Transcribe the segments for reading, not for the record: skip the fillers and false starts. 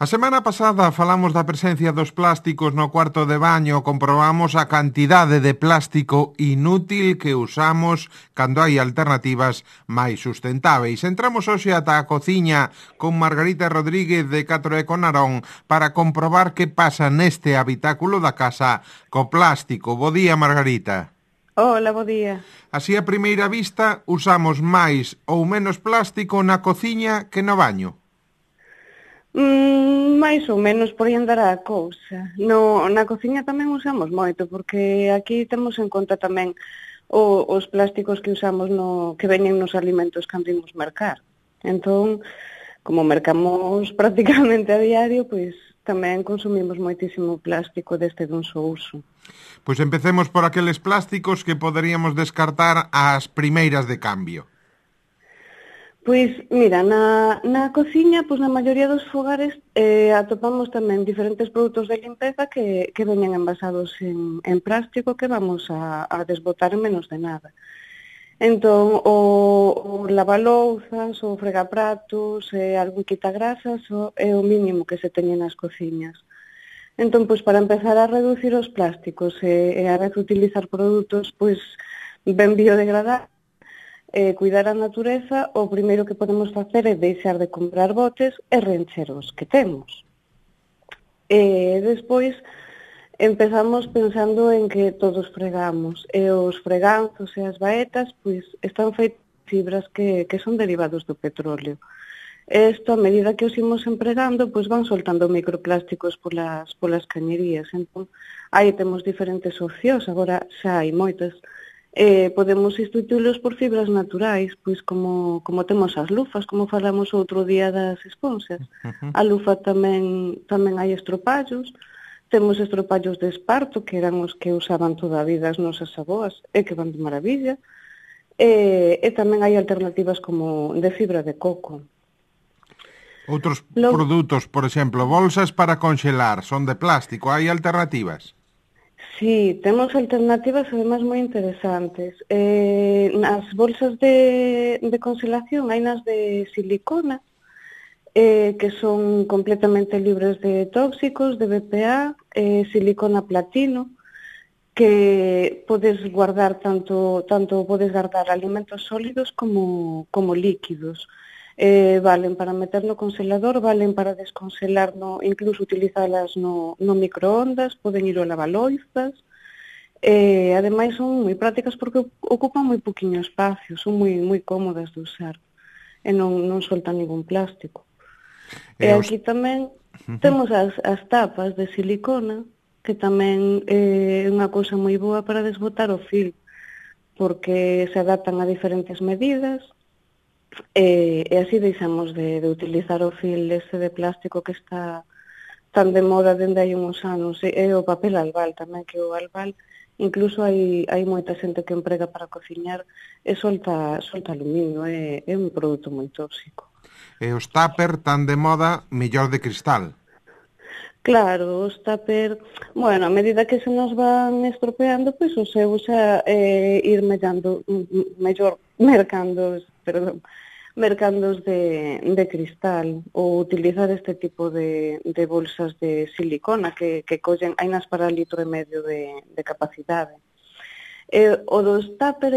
A semana pasada falamos da presencia dos plásticos no cuarto de baño, comprobamos a cantidade de plástico inútil que usamos cando hai alternativas máis sustentáveis. Entramos hoxe ata a cociña con Margarita Rodríguez de Catro e Conarón para comprobar que pasa neste habitáculo da casa co plástico. Bo día, Margarita. Hola, bo día. Así a primeira vista, usamos máis ou menos plástico na cociña que no baño. Mais ou menos por aí andará a cousa. Na cociña tamén usamos moito, porque aquí temos en conta tamén os plásticos que usamos que veñen nos alimentos cando imos mercar. Entón, como mercamos prácticamente a diario, pois tamén consumimos moitísimo plástico deste dun só uso. Pois empecemos por aqueles plásticos que poderíamos descartar ás primeiras de cambio. Pois, mira, na cociña, pois na maioría dos fogares atopamos tamén diferentes produtos de limpeza que veñen envasados en plástico que vamos a desbotar en menos de nada. Entón, o lavalouzas, o fregapratos, algún quitagrasas, é o mínimo que se teñe nas cociñas. Entón, pois para empezar a reducir os plásticos e a vez utilizar produtos pois ben biodegradables, cuidar a natureza, o primeiro que podemos facer é deixar de comprar botes e reencher os que temos. Despois, empezamos pensando en que todos fregamos, e os freganzos e as baetas, pois, están feitos de fibras que son derivados do petróleo. Isto, a medida que os imos empregando, pois van soltando microplásticos polas cañerías. Entón, aí temos diferentes opcións, agora xa hai moitas. Podemos substituílos por fibras naturais, pois como temos as lufas, como falamos outro día das esponxas. A lufa tamén hai estropallos, temos estropallos de esparto, que eran os que usaban toda a vida as nosas avoas, e que van de maravilla, e tamén hai alternativas como de fibra de coco. Outros produtos, por exemplo, bolsas para conxelar, son de plástico, hai alternativas? Sí, temos alternativas además moi interesantes. Nas bolsas de congelación hai nas de silicona, que son completamente libres de tóxicos, de BPA, silicona platino, que podes guardar tanto podes guardar alimentos sólidos como líquidos. Valen para meter no congelador, valen para descongelar, incluso utilizalas no microondas, poden ir ao lavaloizas. Ademais son moi prácticas porque ocupan moi poquinho espacio, son moi cómodas de usar e non soltan ningún plástico. E aquí tamén temos as tapas de silicona, que tamén é unha cousa moi boa para desbotar o fil, porque se adaptan a diferentes medidas, e así deixamos de utilizar o fil ese de plástico que está tan de moda dende hai uns anos, e o papel albal tamén, que o albal incluso hai moita xente que emprega para cociñar e solta aluminio, é un produto moi tóxico. E os tupper tan de moda, mellor de cristal. Claro, os tupper, bueno, a medida que se nos van estropeando, pois o seu xa ir mellor mercandos de cristal, ou utilizar este tipo de bolsas de silicona que collen, hai nas para litro e medio de capacidade. O dos tupper,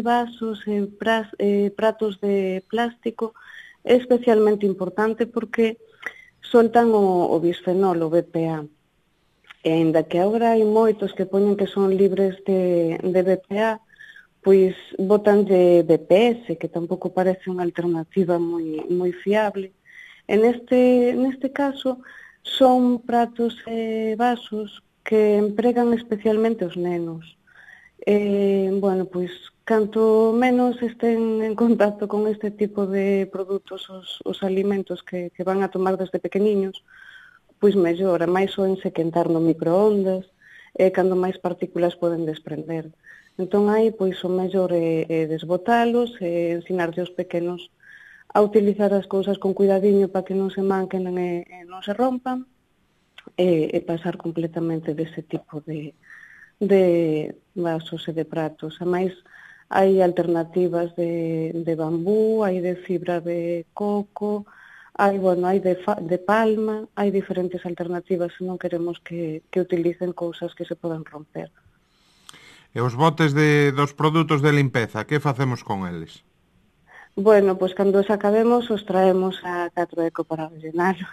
vasos e pratos de plástico é especialmente importante porque soltan o bisfenol, o BPA. E ainda que agora hai moitos que poñen que son libres de BPA, pois botan de BPS, que tampouco parece unha alternativa moi fiable. E neste caso son pratos e vasos que empregan especialmente os nenos. Bueno, pois canto menos estén en contacto con este tipo de produtos os alimentos que van a tomar desde pequeniños, pois mellor, máis oense quentar no microondas, cando máis partículas poden desprender. Entón aí, pois o mellor é desbotalos, ensinarlle aos pequenos a utilizar as cousas con cuidadiño para que non se manquen e non se rompan, e pasar completamente dese tipo de vasos e de pratos. A máis, hai alternativas de bambú, hai de fibra de coco, hai de palma, hai diferentes alternativas se non queremos que utilicen cousas que se podan romper. E os botes dos produtos de limpeza, que facemos con eles? Bueno, pois cando os acabemos os traemos a 4Eco para rellenalo.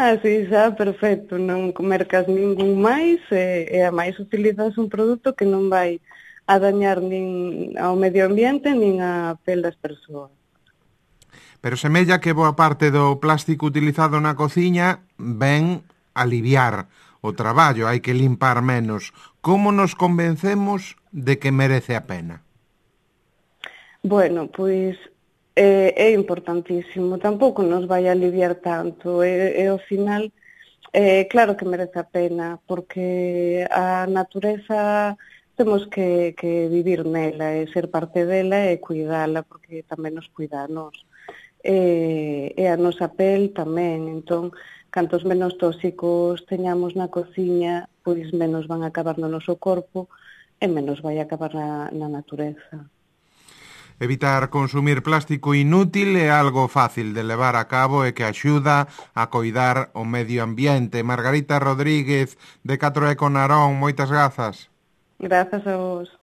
Así xa, perfecto, non mercas ningún máis e a máis utilizas un produto que non vai a dañar nin ao medio ambiente nin a pel das persoas. Pero semella que boa parte do plástico utilizado na cociña ven aliviar o traballo, hai que limpar menos. Como nos convencemos de que merece a pena? Bueno, pois é importantísimo, tampouco nos vai a aliviar tanto, e ao final, claro que merece a pena, porque a natureza temos que vivir nela e ser parte dela e cuidala, porque tamén nos cuida a nós. E a nosa pel tamén, entón, cantos menos tóxicos teñamos na cociña, pois menos van a acabar no noso corpo e menos vai a acabar na natureza. Evitar consumir plástico inútil é algo fácil de levar a cabo e que axuda a coidar o medio ambiente. Margarita Rodríguez, de 4Eco Narón, moitas grazas. Grazas a vos.